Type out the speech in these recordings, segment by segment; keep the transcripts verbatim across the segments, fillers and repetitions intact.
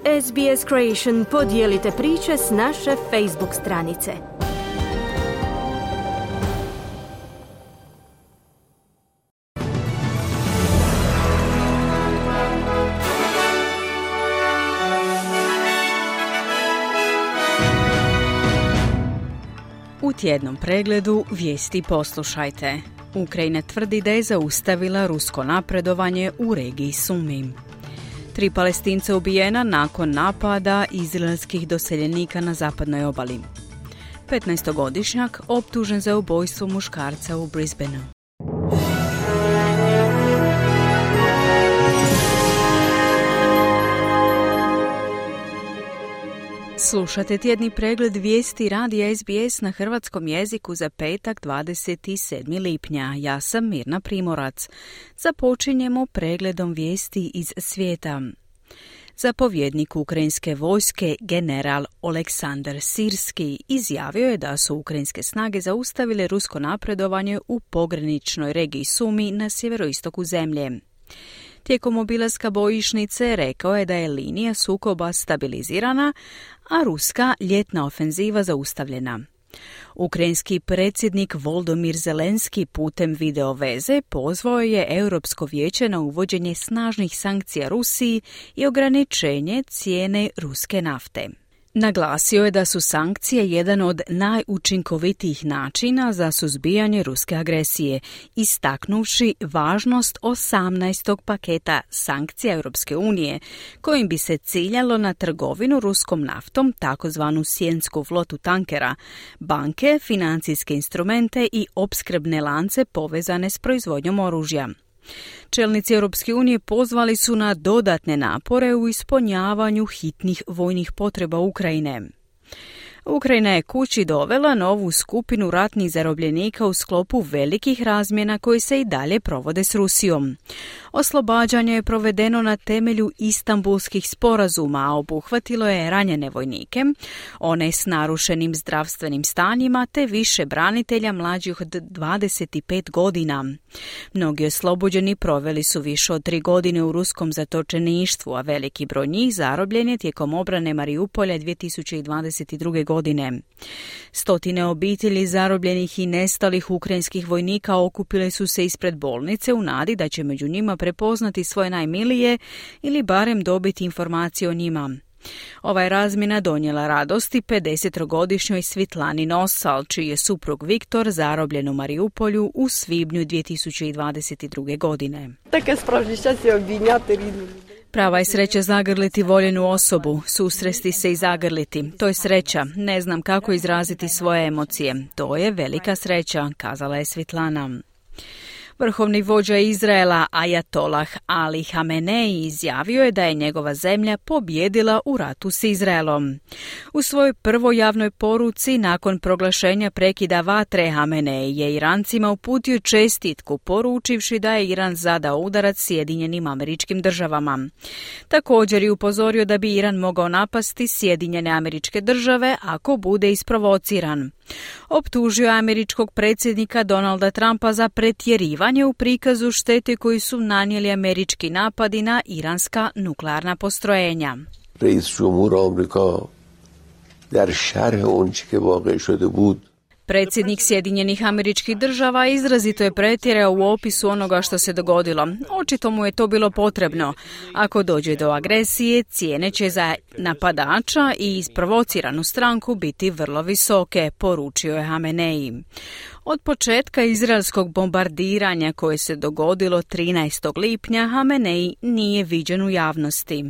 S B S Creation podijelite priče s naše Facebook stranice. U tjednom pregledu vijesti poslušajte. Ukrajina tvrdi da je zaustavila rusko napredovanje u regiji Sumi. Tri Palestinca ubijena nakon napada izraelskih doseljenika na zapadnoj obali. petnaestogodišnjak optužen za ubojstvo muškarca u Brisbaneu. Slušate tjedni pregled vijesti radija S B S na hrvatskom jeziku za petak dvadeset sedmog lipnja. Ja sam Mirna Primorac. Započinjemo pregledom vijesti iz svijeta. Zapovjednik ukrajinske vojske, general Oleksandar Sirski, izjavio je da su ukrajinske snage zaustavile rusko napredovanje u pograničnoj regiji Sumi na sjeveroistoku zemlje. Tijekom obilaska bojišnice rekao je da je linija sukoba stabilizirana, a ruska ljetna ofenziva zaustavljena. Ukrajinski predsjednik Volodymyr Zelenski putem video veze pozvao je Europsko vijeće na uvođenje snažnih sankcija Rusiji i ograničenje cijene ruske nafte. Naglasio je da su sankcije jedan od najučinkovitijih načina za suzbijanje ruske agresije, istaknuvši važnost osamnaestog paketa sankcija Europske unije, kojim bi se ciljalo na trgovinu ruskom naftom, takozvanu sjensku flotu tankera, banke, financijske instrumente i opskrbne lance povezane s proizvodnjom oružja. Čelnici Europske unije pozvali su na dodatne napore u ispunjavanju hitnih vojnih potreba Ukrajine. Ukrajina je kući dovela novu skupinu ratnih zarobljenika u sklopu velikih razmjena koji se i dalje provode s Rusijom. Oslobađanje je provedeno na temelju Istanbulskih sporazuma, a obuhvatilo je ranjene vojnike, one s narušenim zdravstvenim stanjima te više branitelja mlađih od dvadeset pet godina. Mnogi oslobođeni proveli su više od tri godine u ruskom zatočeništvu, a veliki broj njih zarobljen je tijekom obrane Mariupolja dvije tisuće dvadeset druge. godine. Stotine obitelji zarobljenih i nestalih ukrajinskih vojnika okupile su se ispred bolnice u nadi da će među njima prepoznati svoje najmilije ili barem dobiti informacije o njima. Ova je razmjena donijela radosti pedesetogodišnjoj Svitlani Nosal, čiji je suprug Viktor zarobljen u Mariupolju u svibnju dvije tisuće dvadeset druge. godine. Таке справжнє щастя обійняти рідну людину. Prava je sreća zagrliti voljenu osobu, susresti se i zagrliti. To je sreća, ne znam kako izraziti svoje emocije. To je velika sreća, kazala je Svitlana. Vrhovni vođa Izraela Ajatolah Ali Hamenei izjavio je da je njegova zemlja pobijedila u ratu s Izraelom. U svojoj prvoj javnoj poruci nakon proglašenja prekida vatre Hamenei je Irancima uputio čestitku poručivši da je Iran zadao udarac Sjedinjenim Američkim Državama. Također je upozorio da bi Iran mogao napasti Sjedinjene Američke Države ako bude isprovociran. Optužio je američkog predsjednika Donalda Trumpa za pretjerivanje u prikazu štete koju su nanijeli američki napadi na iranska nuklearna postrojenja. Reis Jumhur Amerika dar sharh onče ke vaqe shode bud. Predsjednik Sjedinjenih Američkih Država izrazito je pretjerao u opisu onoga što se dogodilo. Očito mu je to bilo potrebno. Ako dođe do agresije, cijene će za napadača i isprovociranu stranku biti vrlo visoke, poručio je Hamenei. Od početka izraelskog bombardiranja koje se dogodilo trinaestog lipnja, Hamenei nije viđen u javnosti.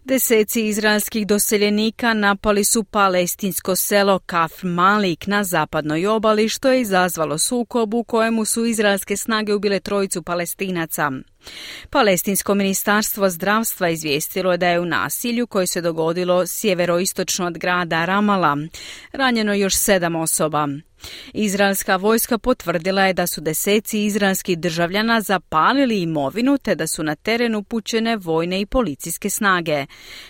Deseci izraelskih doseljenika napali su palestinsko selo Kafr Malik na zapadnoj obali, što je izazvalo sukob u kojemu su izraelske snage ubile trojicu Palestinaca. Palestinsko ministarstvo zdravstva izvijestilo je da je u nasilju koje se dogodilo sjeveroistočno od grada Ramala ranjeno još sedam osoba. Izraelska vojska potvrdila je da su deseci izraelskih državljana zapalili imovinu te da su na teren upućene vojne i policijske snage.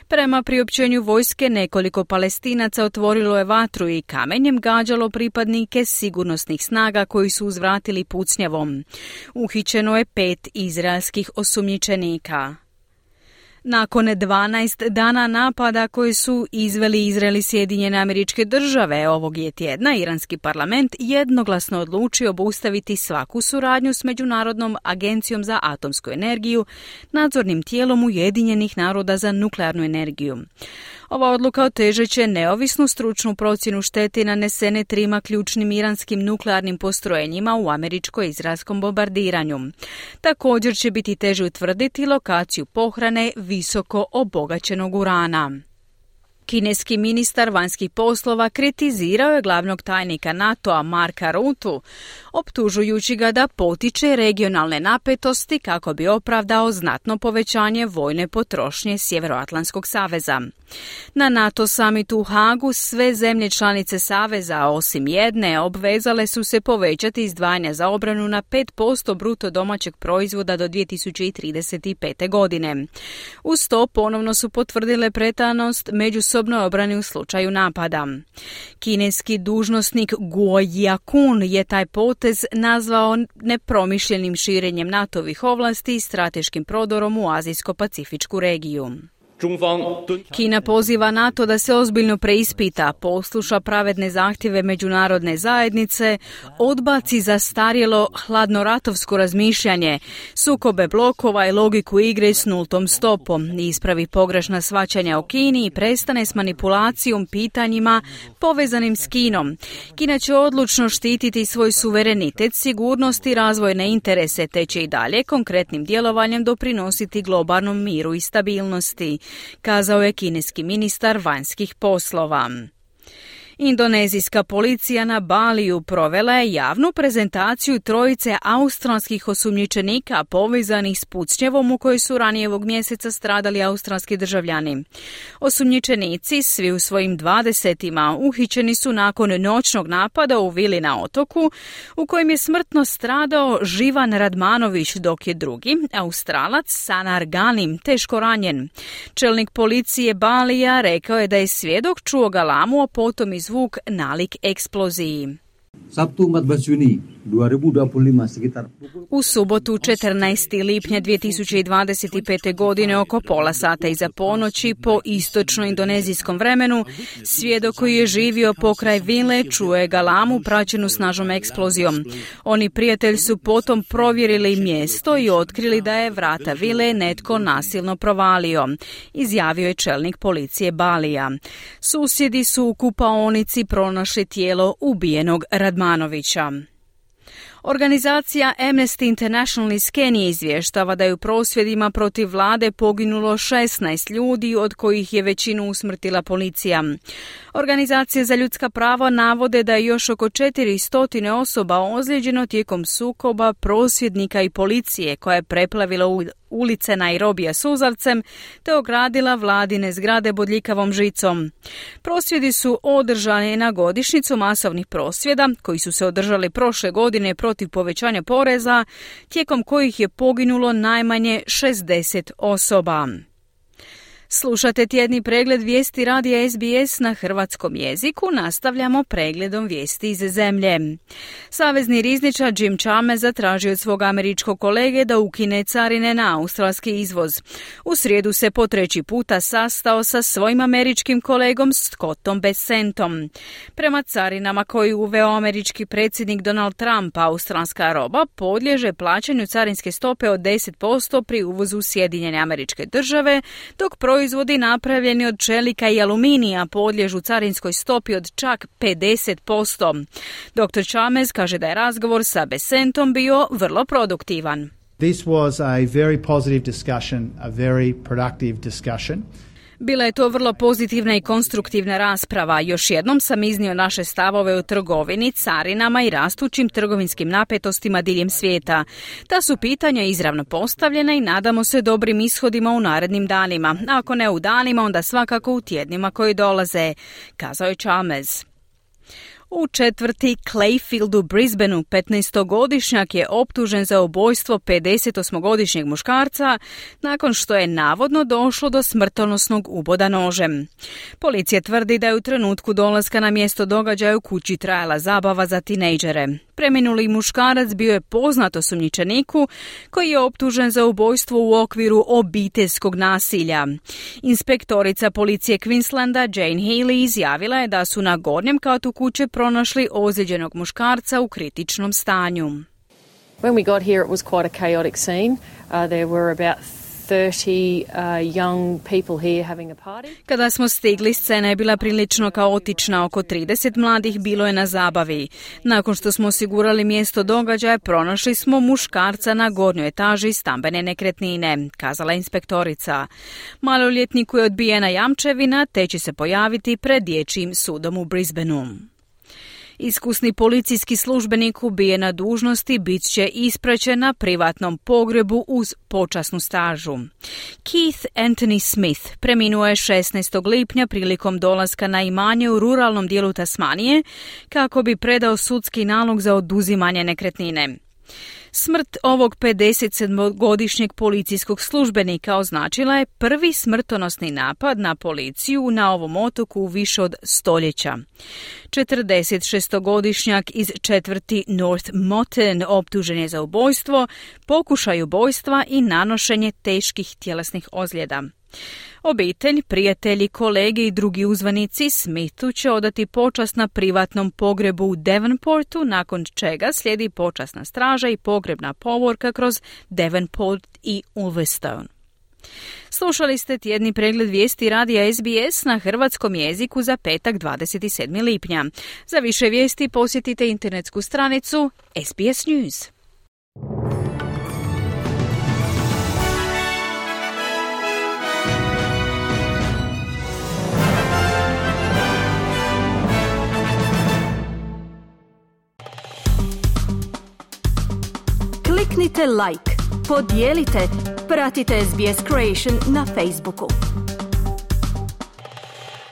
Prema priopćenju vojske, nekoliko Palestinaca otvorilo je vatru i kamenjem gađalo pripadnike sigurnosnih snaga koji su uzvratili pucnjavom. Uhićeno je pet izraelskih osumnjičenika. Nakon dvanaest dana napada koji su izveli Izrael i Sjedinjene Američke Države, ovog je tjedna iranski parlament jednoglasno odlučio obustaviti svaku suradnju s Međunarodnom agencijom za atomsku energiju, nadzornim tijelom Ujedinjenih naroda za nuklearnu energiju. Ova odluka otežat će neovisnu stručnu procjenu štete nanesene trima ključnim iranskim nuklearnim postrojenjima u američko-izraelskom bombardiranju. Također će biti teže utvrditi lokaciju pohrane visoko obogaćenog urana. Kineski ministar vanjskih poslova kritizirao je glavnog tajnika NATO-a Marka Ruttea, optužujući ga da potiče regionalne napetosti kako bi opravdao znatno povećanje vojne potrošnje Sjevernoatlantskog saveza. Na NATO samitu u Hagu sve zemlje članice saveza, osim jedne, obvezale su se povećati izdvajanja za obranu na pet posto bruto domaćeg proizvoda do dvije tisuće trideset pete. godine. Uz to ponovno su potvrdile pretanost međusobnoj obrani u slučaju napada. Kineski dužnosnik Guo Jiakun je taj potez nazvao nepromišljenim širenjem NATO-vih ovlasti i strateškim prodorom u Azijsko-Pacifičku regiju. Kina poziva NATO da se ozbiljno preispita, posluša pravedne zahtjeve međunarodne zajednice, odbaci zastarjelo hladnoratovsko razmišljanje, sukobe blokova i logiku igre s nultom stopom, ispravi pogrešna shvaćanja o Kini i prestane s manipulacijom pitanjima povezanim s Kinom. Kina će odlučno štititi svoj suverenitet, sigurnost i razvojne interese, te će i dalje konkretnim djelovanjem doprinositi globalnom miru i stabilnosti, kazao je kineski ministar vanjskih poslova. Indonezijska policija na Baliju provela je javnu prezentaciju trojice australskih osumnjičenika povezanih s pucnjevom u kojoj su ranije ovog mjeseca stradali australski državljani. Osumnjičenici, svi u svojim dvadesetima, uhićeni su nakon noćnog napada u vili na otoku u kojem je smrtno stradao Živan Radmanović, dok je drugi, Australac Sanar Ganim, teško ranjen. Čelnik policije Balija rekao je da je svjedok čuo galamu, a potom iz zvuk nalik eksploziji. Sabtu empat belas Juni dua ribu dua puluh lima sekitar U subotu četrnaestog lipnja dvije tisuće dvadeset pete. godine oko pola sata iza ponoći po istočno-indonezijskom vremenu, svjedok koji je živio pokraj vile čuo je galamu praćenu snažnom eksplozijom. Oni prijatelji su potom provjerili mjesto i otkrili da je vrata vile netko nasilno provalio, izjavio je čelnik policije Balija. Susjedi su u kupaonici pronašli tijelo ubijenog Radmanovića. Organizacija Amnesty International iz Kenije izvještava da je u prosvjedima protiv vlade poginulo šesnaest ljudi, od kojih je većinu usmrtila policija. Organizacije za ljudska prava navode da je još oko četiristo osoba ozlijeđeno tijekom sukoba prosvjednika i policije koja je preplavila ulice Nairobija suzavcem te ogradila vladine zgrade bodljikavom žicom. Prosvjedi su održani na godišnjicu masovnih prosvjeda koji su se održali prošle godine protiv povećanja poreza, tijekom kojih je poginulo najmanje šezdeset osoba. Slušate tjedni pregled vijesti radija S B S na hrvatskom jeziku. Nastavljamo pregledom vijesti iz zemlje. Savezni rizničar Jim Chalmers zatražio od svog američkog kolege da ukine carine na australski izvoz. U srijedu se po treći puta sastao sa svojim američkim kolegom Scottom Bessentom. Prema carinama koji uveo američki predsjednik Donald Trump, australska roba podliježe plaćanju carinske stope od deset posto pri uvozu u Sjedinjene Američke Države, dok proizvodi napravljeni od čelika i aluminija podliježu carinskoj stopi od čak pedeset posto. doktor Chalmers kaže da je razgovor sa Bessentom bio vrlo produktivan. This was a very positive discussion, a very productive discussion. Bila je to vrlo pozitivna i konstruktivna rasprava. Još jednom sam iznio naše stavove o trgovini, carinama i rastućim trgovinskim napetostima diljem svijeta. Ta su pitanja izravno postavljena i nadamo se dobrim ishodima u narednim danima. Ako ne u danima, onda svakako u tjednima koji dolaze, kazao je Chalmers. U četvrti Clayfield u Brisbaneu petnaestogodišnjak je optužen za ubojstvo pedesetosmogodišnjeg muškarca nakon što je navodno došlo do smrtonosnog uboda nožem. Policija tvrdi da je u trenutku dolaska na mjesto događaja u kući trajala zabava za tinejdžere. Preminuli muškarac bio je poznat osumnjičeniku koji je optužen za ubojstvo u okviru obiteljskog nasilja. Inspektorica policije Queenslanda Jane Healy izjavila je da su na gornjem katu kuće pronašli ozlijeđenog muškarca u kritičnom stanju. When we got here, it was quite a chaotic scene. Uh, there were about thirty uh, young people here having a party. Kada smo stigli, scena je bila prilično kaotična. Oko trideset mladih bilo je na zabavi. Nakon što smo osigurali mjesto događaja, pronašli smo muškarca na gornjoj etaži stambene nekretnine, kazala inspektorica. Maloljetniku je odbijena jamčevina, te će se pojaviti pred dječjim sudom u Brisbaneu. Iskusni policijski službenik ubijen na dužnosti bit će ispraćen na privatnom pogrebu uz počasnu stažu. Keith Anthony Smith preminuo je šesnaestog lipnja prilikom dolaska na imanje u ruralnom dijelu Tasmanije kako bi predao sudski nalog za oduzimanje nekretnine. Smrt ovog pedesetsedmogodišnjeg policijskog službenika označila je prvi smrtonosni napad na policiju na ovom otoku u više od stoljeća. četrdesetšestogodišnjak iz četvrti North Motten optužen je za ubojstvo, pokušaj ubojstva i nanošenje teških tjelesnih ozljeda. Obitelj, prijatelji, kolege i drugi uzvanici Smithu će odati počast na privatnom pogrebu u Devonportu, nakon čega slijedi počasna straža i pogrebna povorka kroz Devonport i Ulverstone. Slušali ste tjedni pregled vijesti radija S B S na hrvatskom jeziku za petak dvadeset sedmog lipnja. Za više vijesti posjetite internetsku stranicu S B S News. Kliknite like, podijelite, pratite S B S Creation na Facebooku.